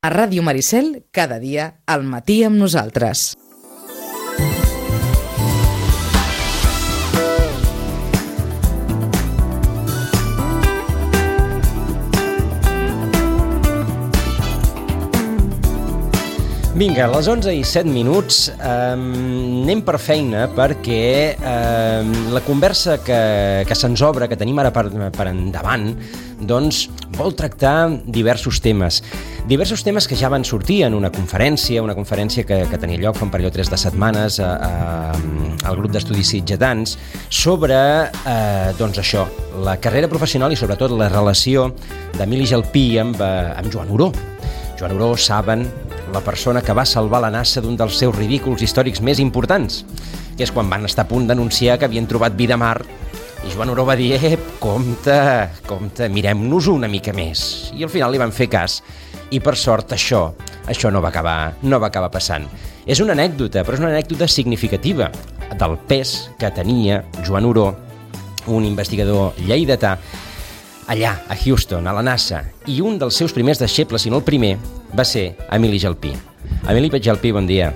A Ràdio Maricel, cada dia, al matí amb nosaltres. Vinga, a les 11:07, anem per feina perquè la conversa que se'ns obre, que tenim ara per endavant, doncs vol tractar diversos temes que ja van sortir en una conferència que tenia lloc fa un parell o tres de setmanes al grup d'estudis sitgetans sobre, doncs això, la carrera professional i sobretot la relació d'Emili Gelpí amb Joan Oró. Joan Oró, saben, la persona que va salvar la NASA d'un dels seus ridículs històrics més importants, que és quan van estar a punt d'anunciar que havien trobat vida a Mart, i Joan Oró va dir, compte, mirem-nos una mica més. I al final li van fer cas, i per sort això no va acabar passant. És una anècdota, però és una anècdota significativa del pes que tenia Joan Oró, un investigador lleidatà, allà, a Houston, a la NASA, i un dels seus primers deixebles, si no el primer, va ser Emili Gelpí. Emili Gelpí, bon dia.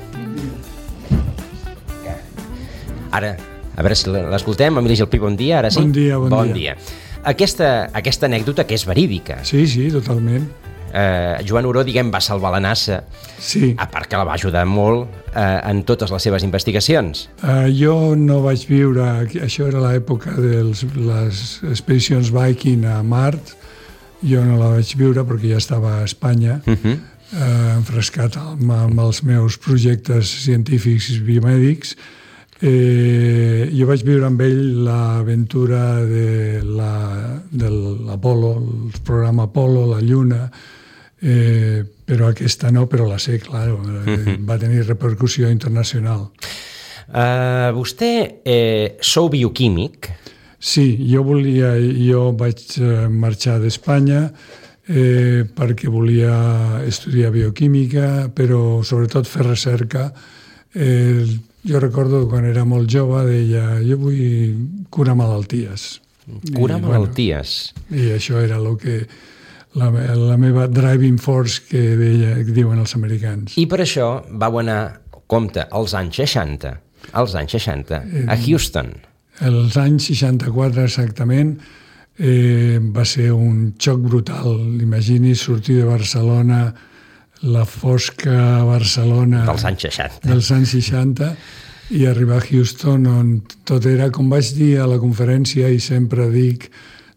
Ara, a veure si l'escoltem. Emili Gelpí, bon dia, ara sí? Bon dia. Aquesta anècdota que és verídica. Sí, totalment. Joan Oró, va salvar la NASA, sí. A part que la va ajudar molt en totes les seves investigacions. Jo no vaig viure, això era l'època de les expedicions Viking a Mart, jo no la vaig viure perquè ja estava a Espanya, enfrescat amb els meus projectes científics i biomèdics. Jo vaig viure amb ell l'aventura de l'Apolo, el programa Apolo, la Lluna, però aquesta no, però la sé, clar, va tenir repercussió internacional. Vostè sou bioquímic? Sí, jo vaig marxar d'Espanya perquè volia estudiar bioquímica, però sobretot fer recerca. Jo recordo quan era molt jove, deia, jo vull curar malalties. Curar malalties? I això era la meva driving force que diuen els americans. I per això vau anar, compte, als anys 60, a Houston. Els anys 64 exactament, va ser un xoc brutal. Imagini's sortir de Barcelona, la fosca Barcelona dels anys 60 i arribar a Houston on tot era, com vaig dir a la conferència i sempre dic,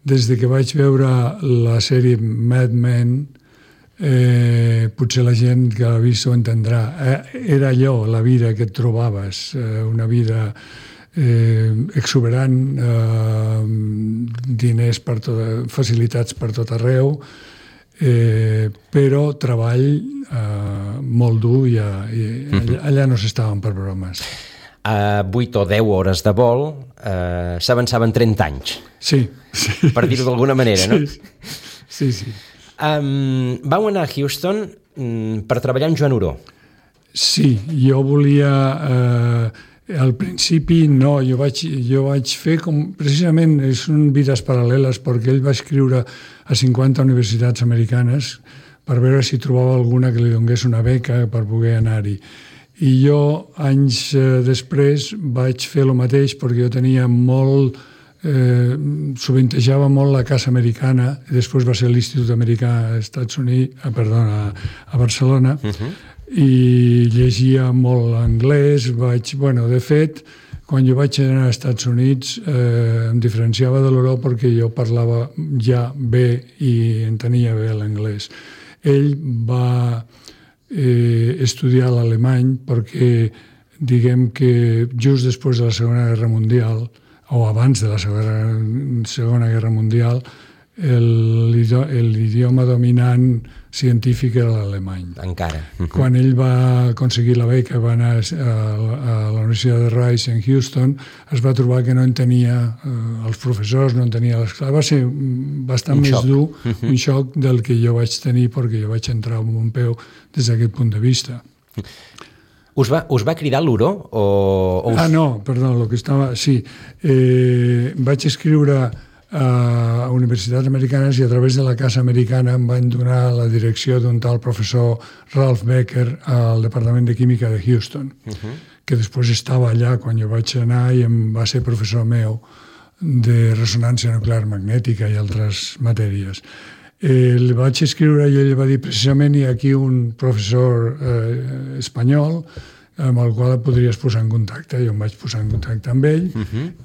des de que vaig veure la sèrie Mad Men, potser la gent que l'ha vist ho entendrà. Era allò, la vida que et trobaves, una vida exuberant, diners facilitats per tot arreu, però treball molt dur i allà no s'estaven per bromes. A 8 o 10 hores de vol s'avançaven 30 anys. Sí. Per dir-ho d'alguna manera, no? Sí. Vau anar a Houston per treballar amb Joan Oró. Sí, jo volia... Al principi no, jo vaig fer com... Precisament són vides paral·leles perquè ell va escriure a 50 universitats americanes per veure si trobava alguna que li donés una beca per poder anar-hi. I jo, anys després, vaig fer el mateix perquè jo tenia molt... sovintejava molt la casa americana, i després va ser l'Institut Americà a Barcelona, i llegia molt anglès. De fet, quan jo vaig anar als Estats Units em diferenciava de l'Oró perquè jo parlava ja bé i entenia bé l'anglès. Ell va estudiar l'alemany perquè, diguem que just després de la Segona Guerra Mundial, o abans de la Segona Guerra Mundial, l'idioma dominant científic era l'alemany. Encara. Quan ell va aconseguir la beca, va anar a la Universitat de Rice en Houston, es va trobar que no entenia els professors, no entenia les classes. Va ser bastant més dur, un xoc del que jo vaig tenir perquè jo vaig entrar amb un peu des d'aquest punt de vista. Us va cridar l'Oró? No, perdó, el que estava... Sí, vaig escriure a universitats americanes i a través de la Casa Americana em van donar la direcció d'un tal professor Ralph Becker al Departament de Química de Houston, que després estava allà quan jo vaig anar i em va ser professor meu de ressonància nuclear magnètica i altres matèries. El vaig escriure i ell va dir precisament hi ha aquí un professor espanyol amb el qual et podries posar en contacte. Jo em vaig posar en contacte amb ell,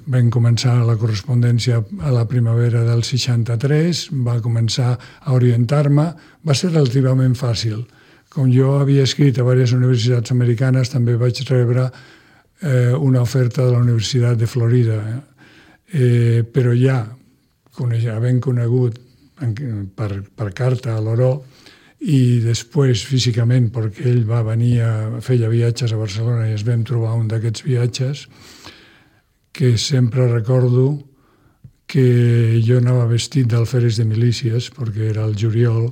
vam començar la correspondència a la primavera del 63, va començar a orientar-me, va ser relativament fàcil. Com jo havia escrit a diverses universitats americanes, també vaig rebre una oferta de la Universitat de Florida, però ja, havent conegut per carta a l'Oró, i després físicament perquè ell va venir feia viatges a Barcelona i es vam trobar un d'aquests viatges que sempre recordo que jo anava vestit d'alferes de milícies perquè era el juliol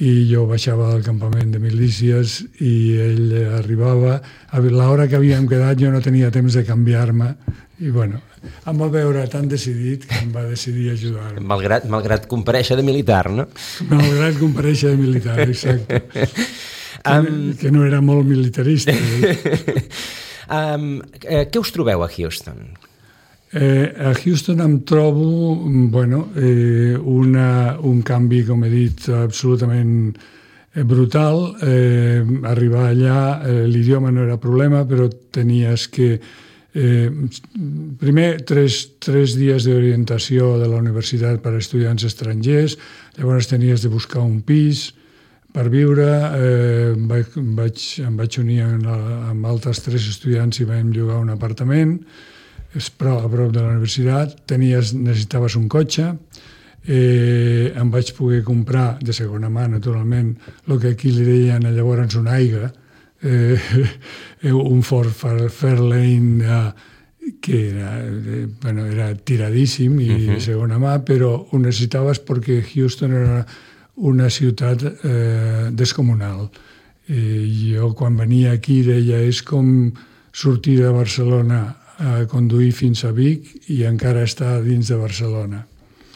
i jo baixava del campament de milícies i ell arribava a l'hora que havíem quedat jo no tenia temps de canviar-me i bueno, em va veure tan decidit que em va decidir ajudar-me. Malgrat comparèixer de militar, no? Malgrat comparèixer de militar, exacte. Que no era molt militarista. Què us trobeu a Houston? A Houston em trobo un canvi, com he dit, absolutament brutal. Arribar allà, l'idioma no era problema, però tenies que primer, tres dies d'orientació de la universitat per a estudiants estrangers, llavors tenies de buscar un pis per viure, em vaig unir amb altres 3 estudiants i vam llogar un apartament a prop de la universitat, necessitaves un cotxe, em vaig poder comprar de segona mà, naturalment, el que aquí li deien llavors un Aiga, un Ford Fairlane que era tiradíssim i de segona mà, però ho necessitaves perquè Houston era una ciutat descomunal. Jo quan venia aquí deia és com sortir de Barcelona a conduir fins a Vic i encara estar dins de Barcelona.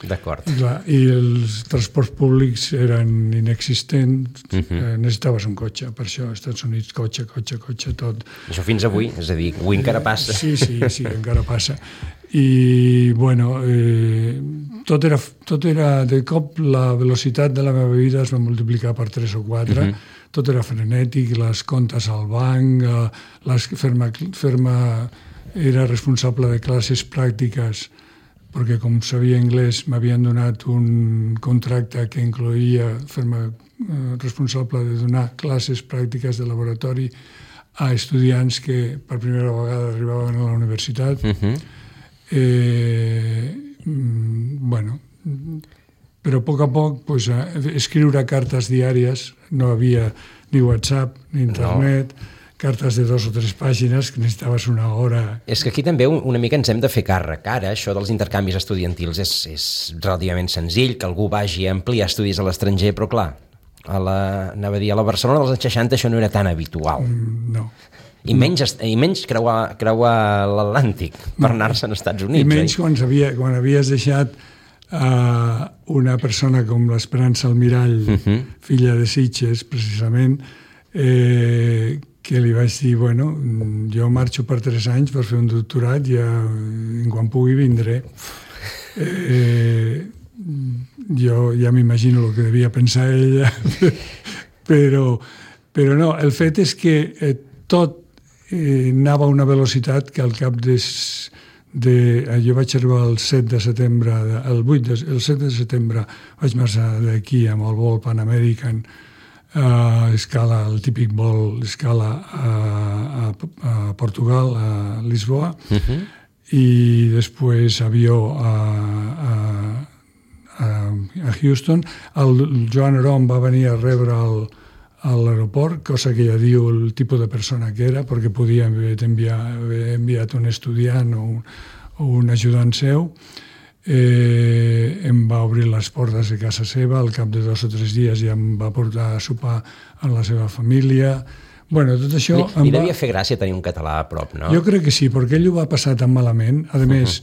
D'acord. I els transports públics eren inexistents, necessitaves un cotxe, per això als Estats Units cotxe, tot. Això fins avui, és a dir, avui encara passa. Sí, encara passa. I, bueno, tot era, de cop, la velocitat de la meva vida es va multiplicar per 3 o 4, tot era frenètic, les comptes al banc, era responsable de classes pràctiques perquè com sabia anglès m'havien donat un contracte que incloïa fer-me responsable de donar classes pràctiques de laboratori a estudiants que per primera vegada arribaven a la universitat. Però a poc escriure cartes diàries, no havia ni WhatsApp ni internet, cartes de 2 o 3 pàgines que necessitaves una hora. És que aquí també una mica ens hem de fer càrrec. Ara, això dels intercanvis estudiantils és relativament senzill, que algú vagi a ampliar estudis a l'estranger, però clar, anava a dir, a la Barcelona dels anys 60 això no era tan habitual. No. I menys creuar l'Atlàntic per anar-se als Estats Units. I menys quan havies deixat una persona com l'Esperança Almirall, filla de Sitges, precisament, que li vaig dir, jo marxo per 3 anys per fer un doctorat i quan pugui vindré. Jo ja m'imagino el que devia pensar ella, però no, el fet és que tot anava a una velocitat que al cap jo vaig arribar el 7 de setembre, el 7 de setembre vaig marxar d'aquí amb el vol Pan American, escala, el típic vol escala a Portugal, a Lisboa, i després avió a Houston. El Joan Oró em va venir a rebre a l'aeroport, cosa que ja diu el tipus de persona que era, perquè podia haver enviat un estudiant o un ajudant seu. Em va obrir les portes de casa seva, al cap de 2 o 3 dies ja em va portar a sopar amb la seva família. Tot això... Li devia fer gràcia tenir un català a prop, no? Jo crec que sí, perquè ell ho va passar tan malament. A més,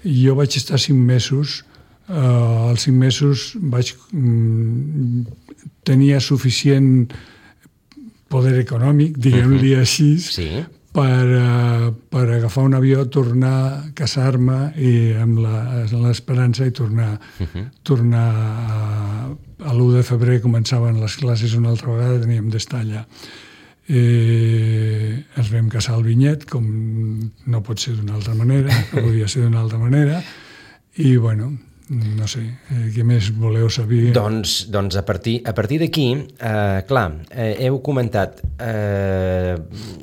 jo vaig estar 5 mesos als 5 mesos tenia suficient poder econòmic, diguem-li així, per agafar un avió, tornar, casar-me i amb l'esperança i tornar a l'1 de febrer començaven les classes una altra vegada, teníem d'estar allà. Ens vam casar al Vinyet, com no pot ser d'una altra manera, no podia ser d'una altra manera, i bueno, no sé, què més voleu saber? Doncs a partir d'aquí, clar, heu comentat,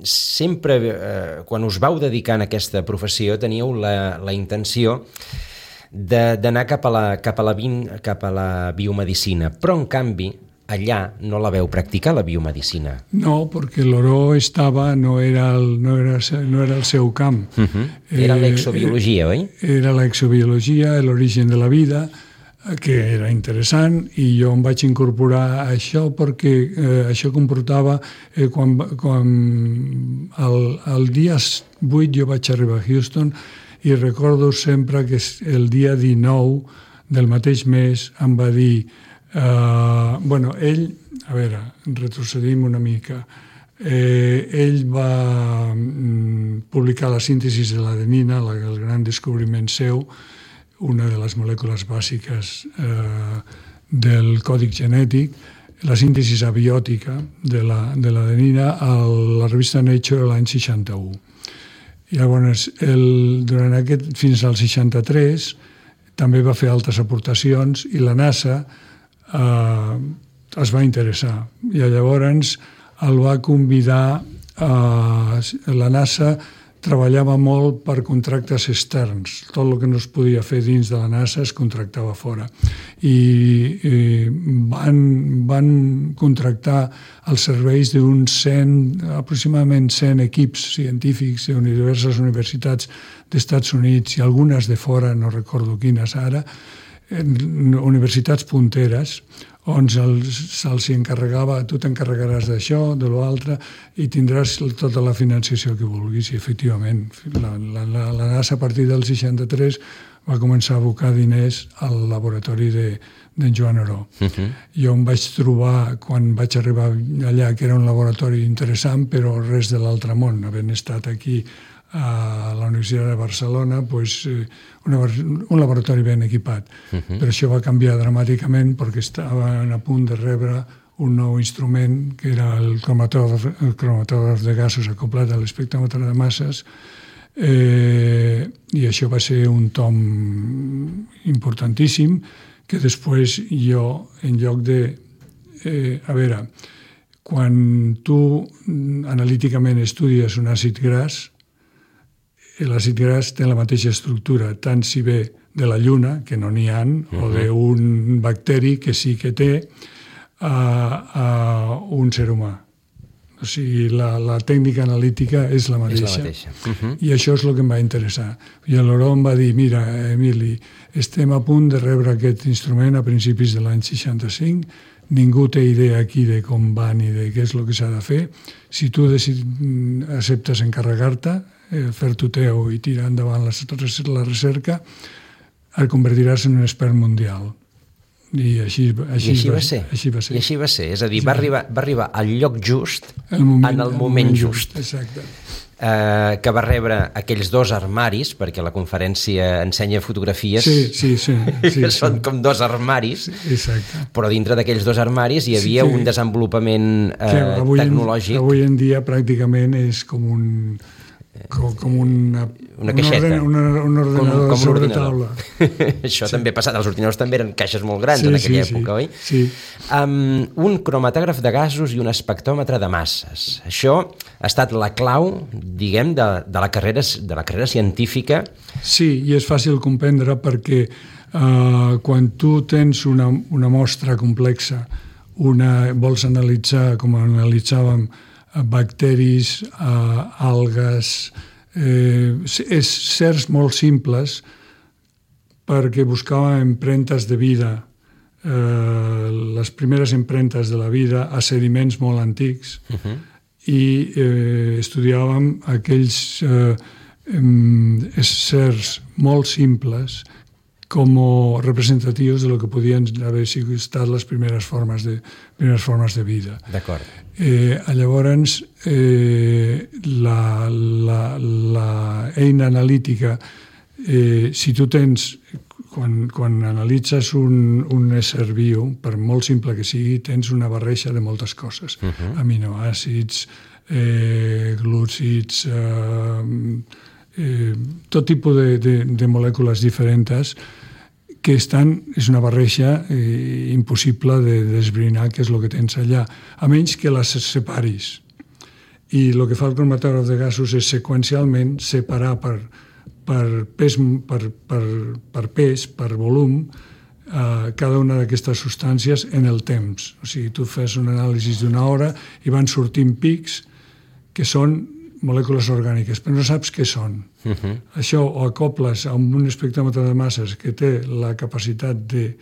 sempre, quan us vau dedicar a aquesta professió, teníeu la intenció d'anar cap a la biomedicina, però en canvi allà no la veu practicar, la biomedicina. No, perquè l'Oró no era el seu camp. Era l'exobiologia, oi? Era l'exobiologia, l'origen de la vida, que era interessant, i jo em vaig incorporar a això perquè això comportava quan el dia 8 jo vaig arribar a Houston i recordo sempre que el dia 19 del mateix mes em va dir ell, a veure, retrocedim una mica, ell va publicar la síntesi de l'adenina, el gran descobriment seu, una de les molècules bàsiques del còdic genètic, la síntesi abiòtica de l'adenina a la revista Nature l'any 61. Llavors, fins al 63 també va fer altres aportacions i la NASA es va interessar i llavors el va convidar la NASA treballava molt per contractes externs, tot el que no es podia fer dins de la NASA es contractava fora i van contractar els serveis aproximadament 100 equips científics de diverses universitats d'Estats Units i algunes de fora, no recordo quines ara, universitats punteres on se'ls encarregava, tu t'encarregaràs d'això, de l'altre, i tindràs tota la financiació que vulguis. I efectivament, la NASA a partir del 63 va començar a abocar diners al laboratori d'en Joan Oró. Jo em vaig trobar, quan vaig arribar allà, que era un laboratori interessant, però res de l'altre món, havent estat aquí a la Universitat de Barcelona, un laboratori ben equipat. Però això va canviar dramàticament perquè estaven a punt de rebre un nou instrument que era el cromatògraf de gasos acoplat a l'espectròmetre de masses i això va ser un tom importantíssim que després jo, en lloc de... a veure, quan tu analíticament estudies un àcid gras, l'àcid gras té la mateixa estructura, tant si ve de la lluna, que no n'hi ha, o d'un bacteri que sí que té, a un ser humà. O sigui, la tècnica analítica és la mateixa. I això és el que em va interessar. I l'Oró em va dir, mira, Emili, estem a punt de rebre aquest instrument a principis de l'any 65, ningú té idea aquí de com va ni de què és el que s'ha de fer. Si tu acceptes encarregar-te, fer-t'ho teu i tirar endavant la recerca, et convertiràs en un expert mundial. I així va ser. I així va ser. És a dir, va arribar al lloc just, en el moment just. Exacte. Que va rebre aquells 2 armaris, perquè la conferència ensenya fotografies que són com 2 armaris, però dintre d'aquells 2 armaris hi havia un desenvolupament tecnològic. Avui en dia pràcticament és com una caixeta, un ordinador sobre taula. Això també ha passat, els ordinadors també eren caixes molt grans en aquella època, oi? Sí. Un cromatògraf de gasos i un espectròmetre de masses. Això ha estat la clau, diguem, de la carrera científica. Sí, i és fàcil comprendre perquè quan tu tens una mostra complexa, vols analitzar, com analitzàvem, bacteris, algues, certs molt simples perquè buscàvem empremtes de vida, les primeres empremtes de la vida a sediments molt antics i estudiàvem aquells certs molt simples como representativos de lo que podien haver estat les primeres formes de vida. D'acord. Llavors, la eina analítica, si tu tens, quan analitzes un ésser viu, per molt simple que sigui, tens una barreja de moltes coses. Aminoàcids, glúcids, tot tipus de molècules diferents que és una barreja impossible de desbrinar què és el que tens allà, a menys que les separis. I el que fa el cromatògraf de gasos és seqüencialment separar per pes, per volum, cada una d'aquestes substàncies en el temps. O sigui, tu fes un anàlisi d'una hora i van sortint pics que són molècules orgàniques, però no saps què són. Això ho acoples a un espectròmetre de masses que té la capacitat de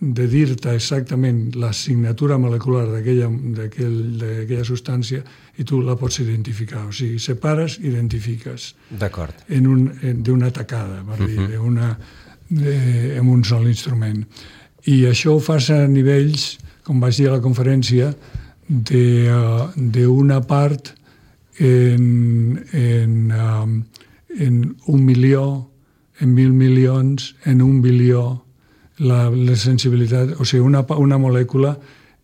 dir-te exactament la signatura molecular d'aquella substància i tu la pots identificar. O sigui, separes, identifiques. D'acord. D'una tacada, per dir, amb un sol instrument. I això ho fas a nivells, com vaig dir a la conferència, d'una part en 1 milió, en 1.000 milions, en 1 bilió, la sensibilitat, o sigui, una molècula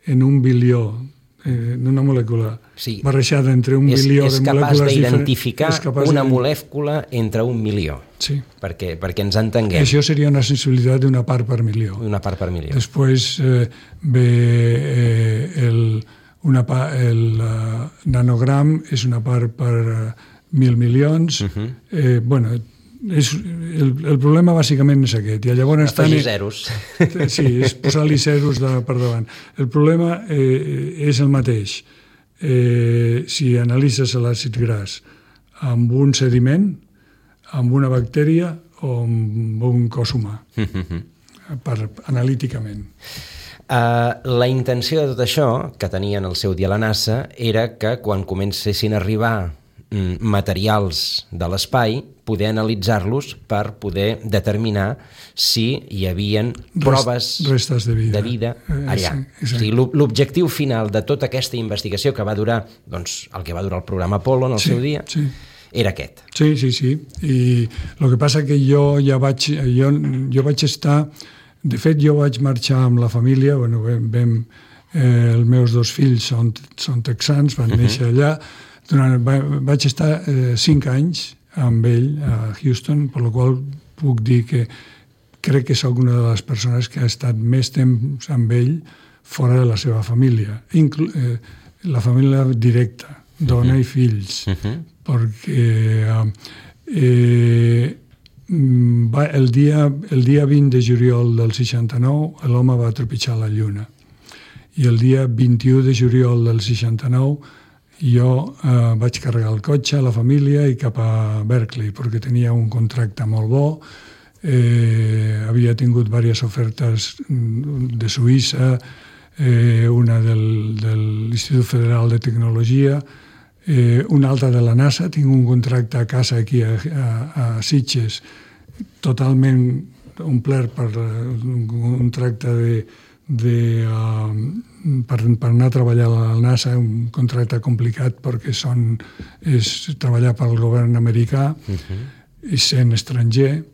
en 1 bilió, una molècula barrejada entre 1 bilió de molècules diferents. És capaç d'identificar una molècula entre 1 milió. Sí. Perquè ens entenguem. Això seria una sensibilitat d'una part per milió. Una part per milió. Després ve el nanogram, és una part per 1.000 milions. Bueno, el problema bàsicament és aquest. I llavors afegir zeros. Sí, és posar-li zeros per davant. El problema és el mateix. Si analitzes l'àcid gras amb un sediment, amb una bactèria o amb un cos humà, analíticament. La intenció de tot això, que tenien el seu dia a la NASA, era que quan comencessin a arribar materials de l'espai, poder analitzar-los per poder determinar si hi havia proves restes de vida allà. O sigui, l'objectiu final de tota aquesta investigació que va durar, doncs, el que va durar el programa Apollo en el seu dia, era aquest. Sí. I el que passa que jo vaig estar... De fet, jo vaig marxar amb la família, els meus 2 fills són texans, van néixer allà, vaig estar 5 anys amb ell a Houston, per la qual puc dir que crec que soc una de les persones que ha estat més temps amb ell fora de la seva família, la família directa, dona i fills, perquè el dia 20 de juliol del 69 l'home va trepitjar la Lluna i el dia 21 de juliol del 69 jo vaig carregar el cotxe a la família i cap a Berkeley perquè tenia un contracte molt bo, havia tingut diverses ofertes de Suïssa, una de l'Institut Federal de Tecnologia, una altra de la NASA. Tinc un contracte a casa aquí a Sitges totalment omplert per un contracte per anar a treballar a la NASA, un contracte complicat perquè és treballar pel govern americà i sent estranger,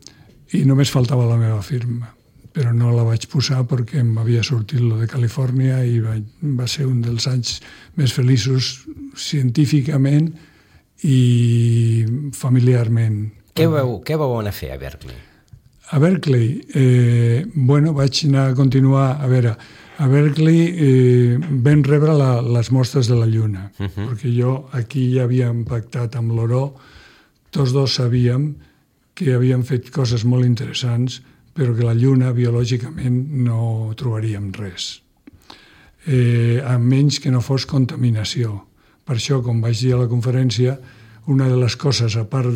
i només faltava la meva firma, però no la vaig posar perquè m'havia sortit lo de Califòrnia i va ser un dels anys més feliços científicament i familiarment. Què vau anar a fer a Berkeley? A Berkeley, vaig anar a continuar, a Berkeley vam rebre les mostres de la Lluna, perquè jo aquí ja havíem pactat amb l'Oró, tots dos sabíem que havíem fet coses molt interessants, però que la Lluna biològicament no trobaríem res, a menys que no fos contaminació. Per això, com vaig dir a la conferència, una de les coses, a part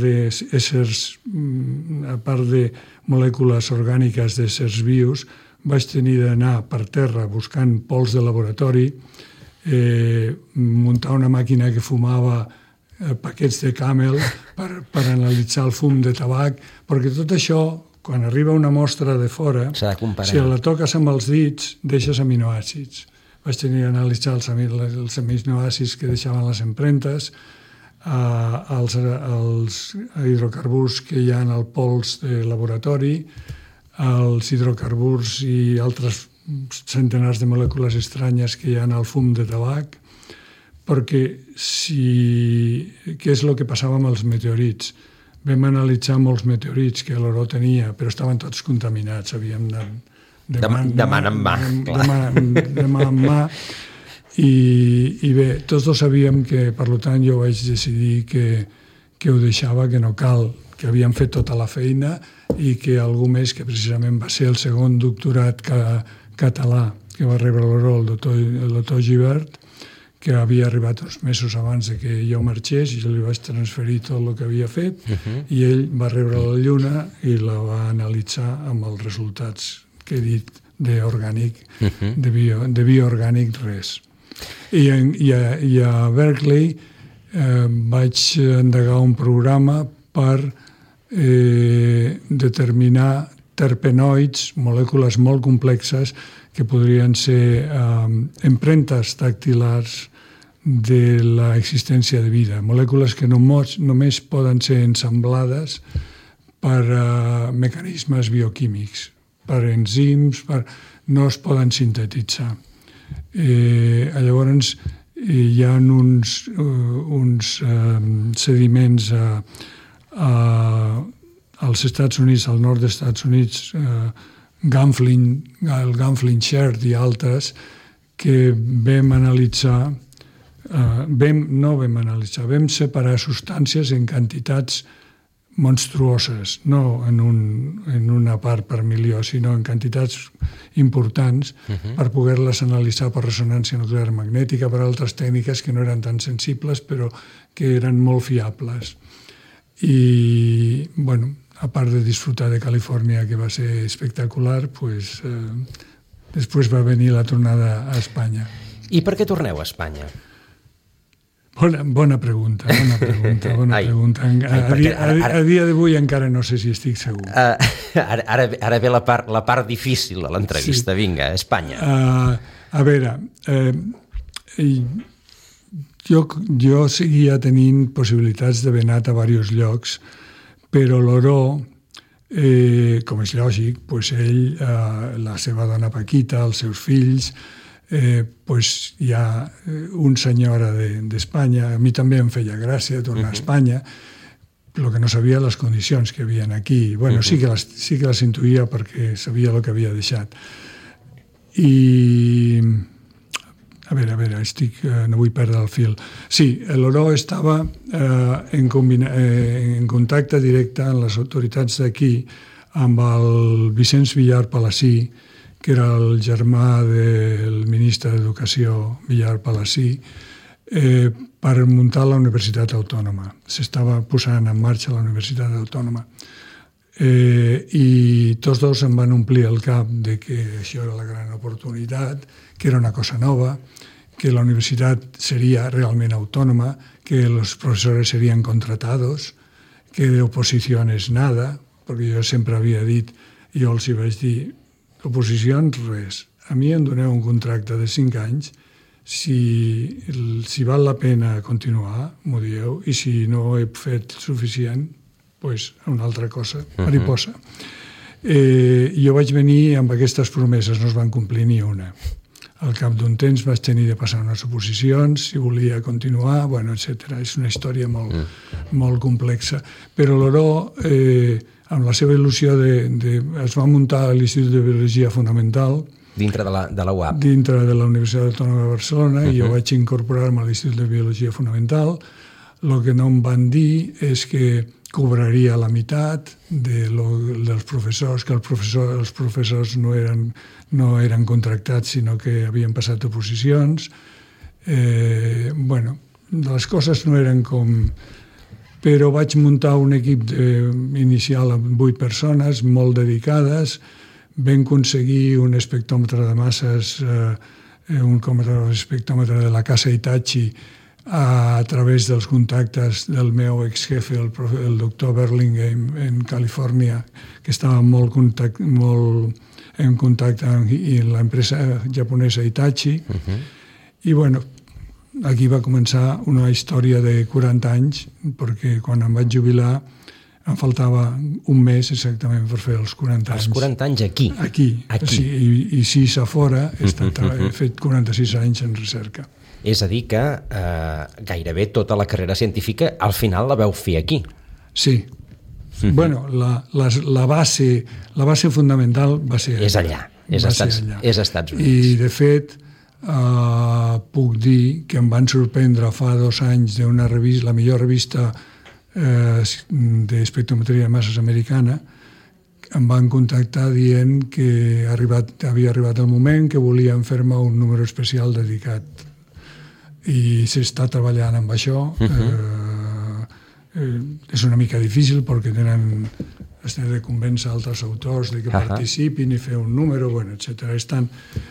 de molècules orgàniques d'éssers vius, vaig tenir d'anar per terra buscant pols de laboratori, muntar una màquina que fumava paquets de Camel per analitzar el fum de tabac, perquè tot això, Quan arriba una mostra de fora, s'ha de comparar. Si la toques amb els dits, deixes aminoàcids. Vaig tenir que analitzar els aminoàcids que deixaven les empremtes, els hidrocarburs que hi ha en el pols de laboratori, els hidrocarburs i altres centenars de molècules estranyes que hi ha al fum de tabac, perquè què és el que passava amb els meteorits? Vam analitzar molts meteorits que l'Oró tenia, però estaven tots contaminats, havíem de mà en mà. De mà en mà. I bé, tots dos sabíem que, per tant, jo vaig decidir que ho deixava, que no cal, que havíem fet tota la feina i que algú més, que precisament va ser el segon doctorat català que va rebre l'Oró, el doctor Gibert, que havia arribat uns mesos abans de que jo marxés i jo li vaig transferir tot el que havia fet i ell va rebre la lluna i la va analitzar amb els resultats que he dit d'orgànic, de bioorgànic res. I a Berkeley vaig endegar un programa per determinar terpenoids, molècules molt complexes que podrien ser empremtes dactilars de l'existència de vida, molècules que només poden ser ensamblades per mecanismes bioquímics, per enzims, no es poden sintetitzar. Llavors, hi ha uns sediments als Estats Units, al nord dels Estats Units, el Gamflin Sherd i altres, que vam separar substàncies en quantitats monstruoses, no en una part per milió, sinó en quantitats importants per poder-les analitzar per ressonància nuclear magnètica, per altres tècniques que no eren tan sensibles però que eren molt fiables. I, bueno, a part de disfrutar de Califòrnia, que va ser espectacular, després va venir la tornada a Espanya. I per què torneu a Espanya? Bona pregunta. A dia d'avui encara no sé si estic segur. Ara ve la part difícil de l'entrevista. Sí. Vinga, Espanya. A veure, jo seguia tenint possibilitats d'haver anat a diversos llocs, però l'Oró, com és lògic, ell, la seva dona Paquita, els seus fills, hi ha un senyora d'Espanya. A mi també em feia gràcia tornar a Espanya, el que no sabia les condicions que hi havia aquí. Bueno, sí que les intuïa perquè sabia el que havia deixat. I a veure, no vull perdre el fil. Sí, l'Oró estava en contacte directe amb les autoritats d'aquí, amb el Vicenç Villar Palací, que era el germà del ministre d'Educació Villar Palací, per muntar la Universitat Autònoma. S'estava posant en marxa la Universitat Autònoma. I tots dos em van omplir el cap de que això era la gran oportunitat, que era una cosa nova, que la universitat seria realment autònoma, que els professors serien contratados, que d'oposició és nada, perquè jo sempre havia dit, i jo els hi vaig dir, oposicions, res. A mi em doneu un contracte de 5 anys, si val la pena continuar, m'ho dieu, i si no he fet suficient, doncs una altra cosa, mariposa. Jo vaig venir amb aquestes promeses, no es van complir ni una. Al cap d'un temps vaig tenir de passar unes oposicions, si volia continuar, etc. És una història molt complexa. Però l'Oró, amb la seva il·lusió es va muntar l'Institut de Biologia Fonamental dintre de la UAB. Dintre de la Universitat Autònoma de Barcelona, i jo vaig incorporar-me a l'Institut de Biologia Fonamental. El que no em van dir és que cobraria la meitat dels professors, que els professors no eren contractats, sinó que havien passat oposicions. Les coses no eren com... Però vaig muntar un equip inicial amb 8 persones, molt dedicades. Vam aconseguir un espectròmetre de masses, un espectròmetre de la Casa Hitachi, a través dels contactes del meu exjefe, el doctor Burlingame, en Califòrnia, que estava molt en contacte amb l'empresa japonesa Hitachi. I, bueno, aquí va començar una història de 40 anys, perquè quan em vaig jubilar em faltava un mes exactament per fer els 40 anys. Els 40 anys aquí? Aquí. I 6 a fora. He fet 46 anys en recerca. És a dir que gairebé tota la carrera científica al final la veu fer aquí. Sí. Bueno, la base fundamental va ser allà. És allà. És Estats Units. I, de fet, puc dir que em van sorprendre fa 2 anys d'una revista, la millor revista d'espectrometria de masses americana, em van contactar dient que havia arribat el moment que volien fer-me un número especial dedicat. I s'està treballant amb això. És una mica difícil perquè has de convèncer altres autors de que participin i fer un número, etc.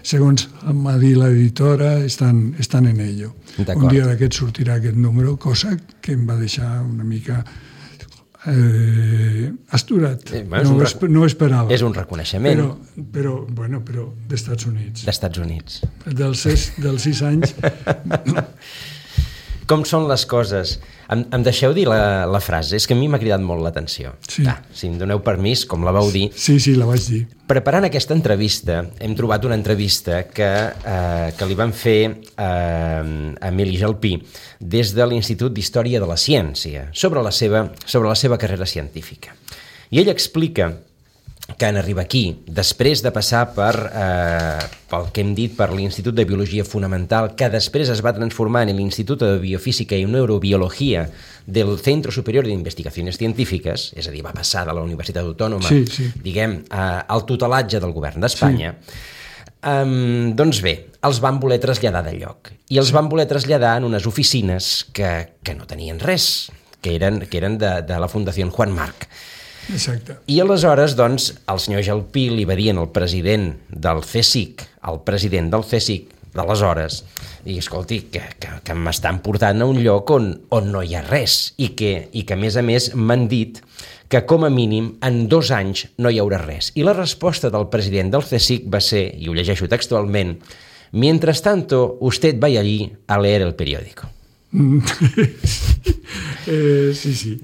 Segons m'ha dit l'editora, estan en ello. Un dia d'aquest sortirà aquest número, cosa que em va deixar una mica asturat. No ho esperava. És un reconeixement. Però d'Estats Units. D'Estats Units. Dels 6 anys. Com són les coses? Em deixeu dir la frase? És que a mi m'ha cridat molt l'atenció. Sí. Si em doneu permís, com la vau dir. Sí, la vaig dir. Preparant aquesta entrevista, hem trobat una entrevista que li van fer a Emili Jalpí des de l'Institut d'Història de la Ciència sobre la seva carrera científica. I ell explica que en arribar aquí, després de passar pel que hem dit, per l'Institut de Biologia Fonamental, que després es va transformar en l'Institut de Biofísica i Neurobiologia del Centro Superior de Investigaciones Científiques, és a dir, va passar de la Universitat Autònoma, diguem, al tutelatge del govern d'Espanya, doncs bé, els van voler traslladar de lloc. I els van voler traslladar en unes oficines que no tenien res, que eren de la Fundació Juan March. Exacte. I aleshores, doncs, el senyor Jalpí li va dir al president del CSIC, d'aleshores, i escolti, que m'estan portant a un lloc on no hi ha res i que a més m'han dit que com a mínim en 2 anys no hi haurà res. I la resposta del president del CSIC va ser, i ho llegeixo textualment, «Mientras tanto, usted vaya allí a leer el periódico». Sí,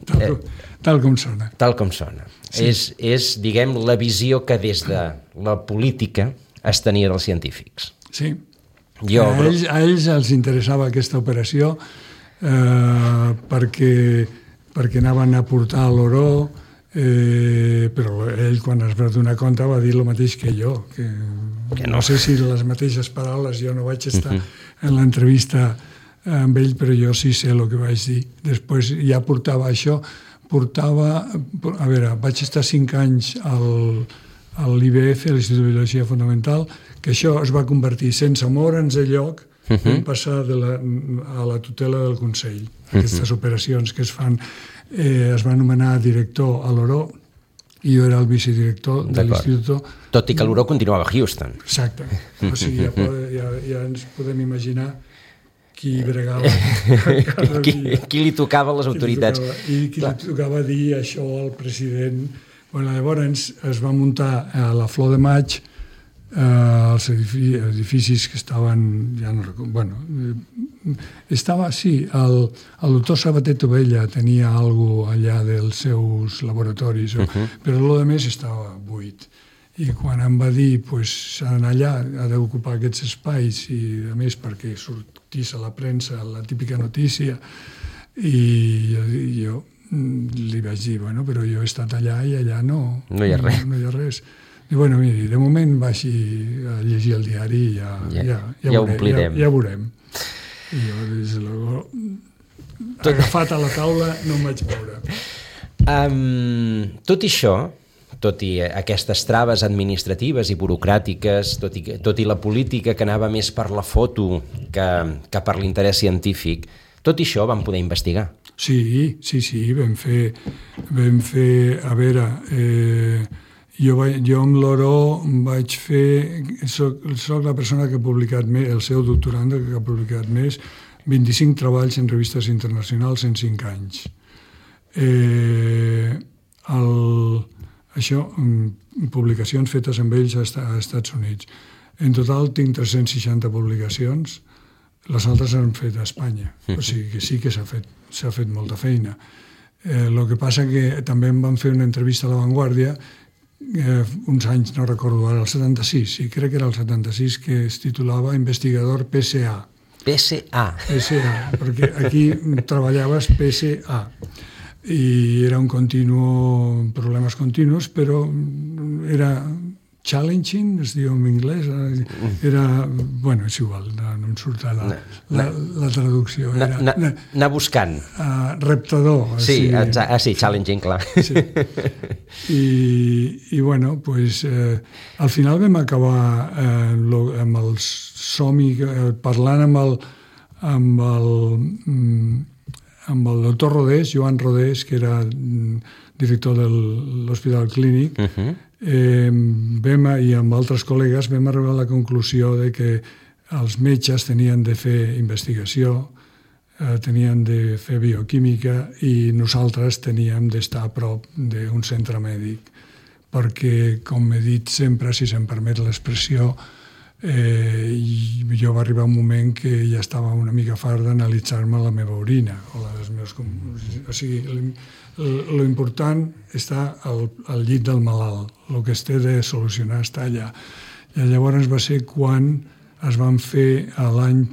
tal com sona. Tal com sona. Sí. És, diguem, la visió que des de la política es tenia dels científics. Sí. A ells els interessava aquesta operació perquè anaven a portar l'Oró, però ell, quan es va donar compte, va dir el mateix que jo, que no sé si les mateixes paraules, jo no vaig estar en l'entrevista amb ell, però jo sí sé el que vaig dir. Després ja portava això, vaig estar 5 anys a l'IBF, a l'Institut de Biologia Fonamental, que això es va convertir, sense moure'ns de lloc, vam passar a la tutela del Consell. Aquestes operacions que es fan, es va nomenar director a l'Oró, i jo era el vicedirector de l'Institut. Tot i que l'Oró continuava a Houston. Exacte. O sigui, ja ens podem imaginar qui bregava qui li tocava a les autoritats i qui li tocava dir això al president. Llavors es va muntar a la Flor de Maig els edificis que estaven, ja no recordo, el doctor Sabater Tovella tenia alguna cosa allà dels seus laboratoris, però el de més estava buit. I quan em va dir s'ha d'anar allà, ha d'ocupar aquests espais, i a més perquè sortís a la premsa la típica notícia, i jo li vaig dir, però jo he estat allà i allà no hi ha res. I miri, de moment vagi a llegir el diari i ja veurem. I jo, des de luego, agafat a la taula, no em vaig moure. Tot això, tot i aquestes traves administratives i burocràtiques, tot i la política que anava més per la foto que per l'interès científic, tot i això vam poder investigar. Sí, vam fer, a veure, Jo amb l'Oro vaig fer... Soc la persona que ha publicat més, el seu doctorand que ha publicat més, 25 treballs en revistes internacionals en 5 anys. Això, publicacions fetes amb ells a Estats Units. En total tinc 360 publicacions, les altres s'han fet a Espanya. O sigui que sí que s'ha fet molta feina. El que passa que també em van fer una entrevista a La Vanguardia uns anys, no recordo ara, el 76, sí, crec que era el 76, que es titulava Investigador PSA. PSA. PSA, perquè aquí treballaves PSA. I era un problemes continus, però era challenging, es diu en anglès, era, bueno, és igual, no em surt la traducció. Anar buscant. Reptador. Sí, challenging, clar. Sí. I bueno, pues, al final vam acabar amb el somni, parlant amb el doctor Rodés, Joan Rodés, que era director de l'Hospital Clínic, i amb altres col·legues vam arribar a la conclusió de que els metges tenien de fer investigació, tenien de fer bioquímica i nosaltres teníem d'estar a prop d'un centre mèdic, perquè, com he dit sempre, si se'm permet l'expressió, jo va arribar un moment que ja estava una mica fart d'analitzar-me la meva orina o la dels meus... O sigui, l'important està al llit del malalt, el que es té de solucionar està allà. I llavors va ser quan es van fer l'any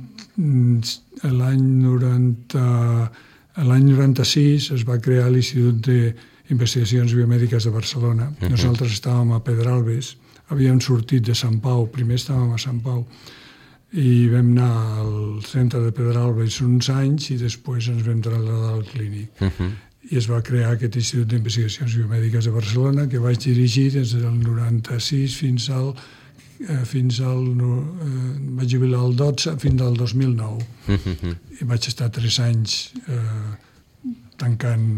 96 es va crear l'Institut d'Investigacions Biomèdiques de Barcelona. Nosaltres estàvem a Pedralbes, havíem sortit de Sant Pau, primer estàvem a Sant Pau, i vam anar al centre de Pedralbes uns anys i després ens vam traslladar al Clínic. I es va crear aquest Institut d'Investigacions Biomèdiques de Barcelona, que vaig dirigir des del 96 fins al vaig jubilar el 12 fins al 2009. I vaig estar 3 anys tancant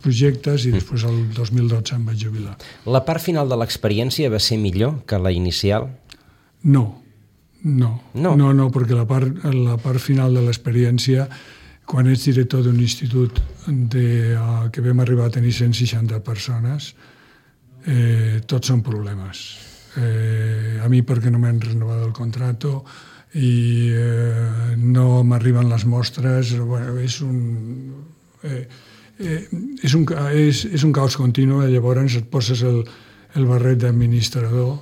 projectes i després el 2012 em vaig jubilar. La part final de l'experiència va ser millor que la inicial? No, perquè la part final de l'experiència, quan ets director d'un institut que vam arribar a tenir 160 persones, tots són problemes. A mi perquè no m'han renovat el contrato i no m'arriben les mostres, és un caos continu. Llavors et poses el barret d'administrador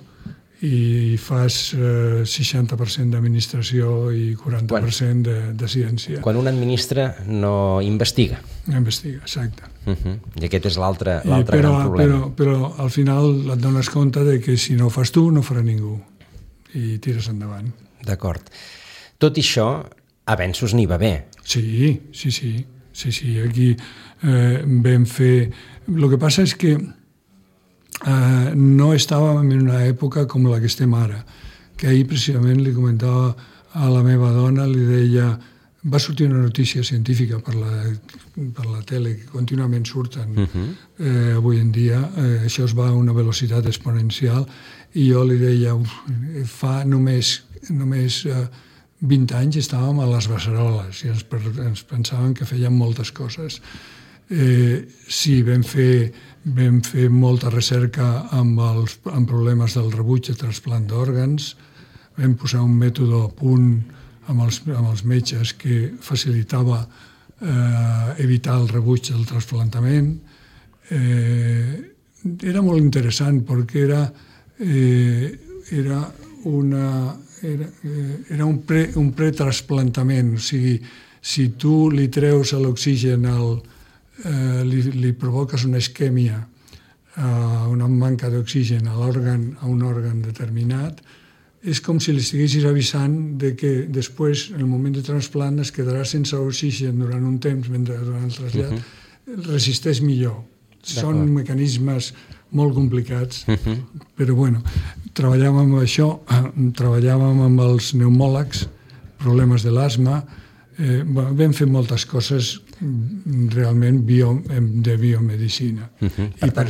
i fas 60% d'administració i 40% de ciència. Quan un administra no investiga. No investiga, exacte. I aquest és l'altre gran problema. Però al final et dones compte de que si no ho fas tu, no ho farà ningú. I tires endavant. D'acord. Tot i això, a Avenços n'hi va bé. Sí. Aquí vam fer... El que passa és que no estàvem en una època com la que estem ara, que ahir precisament li comentava a la meva dona, li deia, va sortir una notícia científica per la tele, que contínuament surten avui en dia, això es va a una velocitat exponencial, i jo li deia, fa només 20 anys estàvem a les beceroles i ens pensàvem que fèiem moltes coses. Sí, vam fer molta recerca amb problemes del rebuig de trasplant d'òrgans, vam posar un mètode a punt amb els metges que facilitava evitar el rebuig del trasplantament. Era molt interessant perquè era un pretrasplantament, o sigui, si tu li treus l'oxigen li provoques una isquèmia, una manca d'oxigen a un òrgan determinat, és com si li estiguessis avisant de que després, en el moment de trasplant, es quedarà sense oxigen durant un temps, mentre durant el trasllat resisteix millor. Són mecanismes molt complicats, però bueno, treballàvem amb això, treballàvem amb els pneumòlegs, problemes de l'asma, vam fer moltes coses realment de biomedicina. Per tant,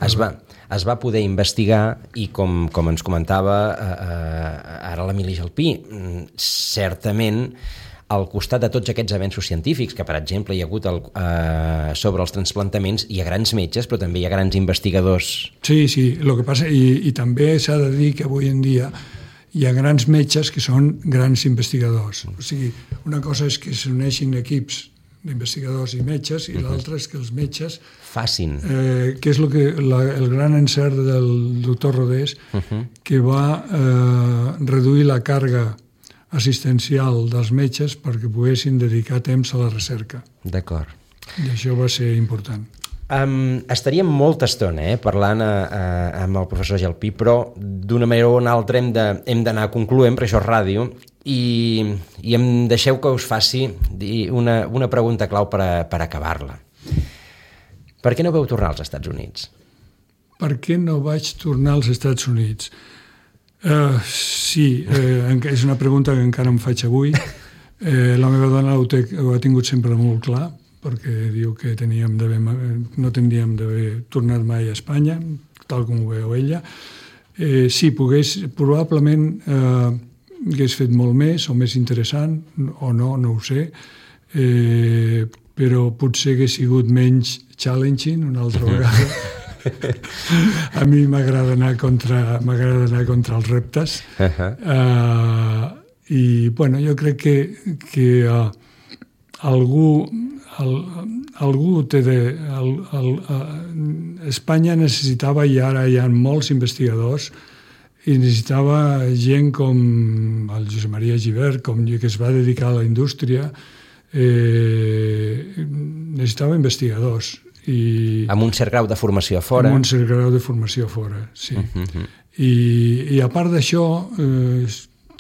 es va poder investigar i, com ens comentava ara l'Emili Jalpí, certament al costat de tots aquests avenços científics, que per exemple hi ha hagut sobre els transplantaments, hi ha grans metges, però també hi ha grans investigadors. Sí, el que passa, i també s'ha de dir que avui en dia hi ha grans metges que són grans investigadors. O sigui, una cosa és que s'uneixin equips d'investigadors i metges, i l'altra és que els metges facin. Que és el gran encert del doctor Rodés, que va reduir la càrrega assistencial dels metges perquè poguessin dedicar temps a la recerca. D'acord. I això va ser important. Estaríem molta estona parlant amb el professor Jalpí, però d'una manera o una altra hem d'anar concloent, perquè això és ràdio, i em deixeu que us faci una pregunta clau per acabar-la. Per què no vau tornar als Estats Units? Per què no vaig tornar als Estats Units? Sí, és una pregunta que encara em faig avui. La meva dona ho ha tingut sempre molt clar, perquè diu que no tindríem d'haver tornat mai a Espanya, tal com ho veu ella. Sí, probablement hagués fet molt més o més interessant, o no ho sé, però potser hagués sigut menys challenging una altra vegada. A mi m'agrada anar contra els reptes. I, bueno, jo crec que algú té Espanya necessitava, i ara hi ha molts investigadors, i necessitava gent com el Josep Maria Gibert, que es va dedicar a la indústria, necessitava investigadors. Amb un cert grau de formació a fora. Amb un cert grau de formació a fora, sí. I a part d'això,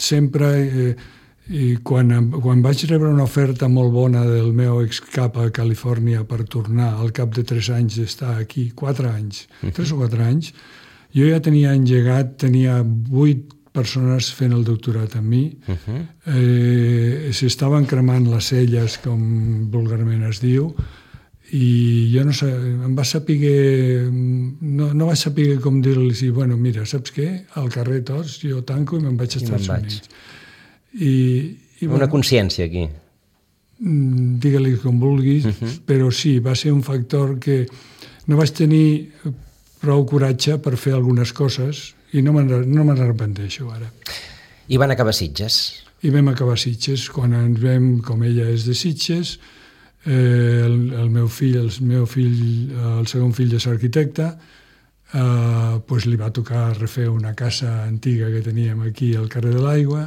sempre, quan vaig rebre una oferta molt bona del meu excap a Califòrnia per tornar al cap de 3 anys d'estar aquí, 4 anys, 3 o 4 anys, jo ja tenia engegat, tenia 8 persones fent el doctorat amb mi, s'estaven cremant les celles, com vulgarment es diu, i jo no sé, em va saber, no vaig saber com dir-los, bueno, mira, saps què? Al carrer tots, jo tanco i me'n vaig als Estats Units. Una consciència aquí. Digue-li com vulguis, però sí, va ser un factor que no vaig tenir prou coratge per fer algunes coses i no me'n arrepenteixo ara. I van acabar a Sitges. I vam acabar a Sitges, quan ens vam, com ella és de Sitges, el meu fill, el segon fill és arquitecte, li va tocar refer una casa antiga que teníem aquí al carrer de l'Aigua,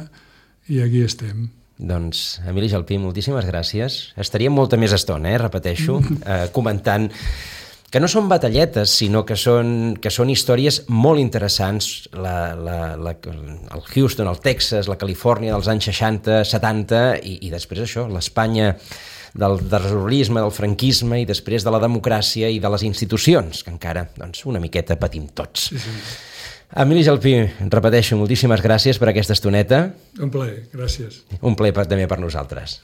i aquí estem. Doncs, Emili Jalpí, moltíssimes gràcies. Estaríem molta més estona, repeteixo, comentant que no són batalletes, sinó que són històries molt interessants. El Houston, el Texas, la Califòrnia dels anys 60, 70, i després això, l'Espanya del terrorisme, del franquisme, i després de la democràcia i de les institucions, que encara una miqueta patim tots. Sí. Emili Jalpí, repeteixo, moltíssimes gràcies per aquesta estoneta. Un plaer, gràcies. Un plaer també per nosaltres.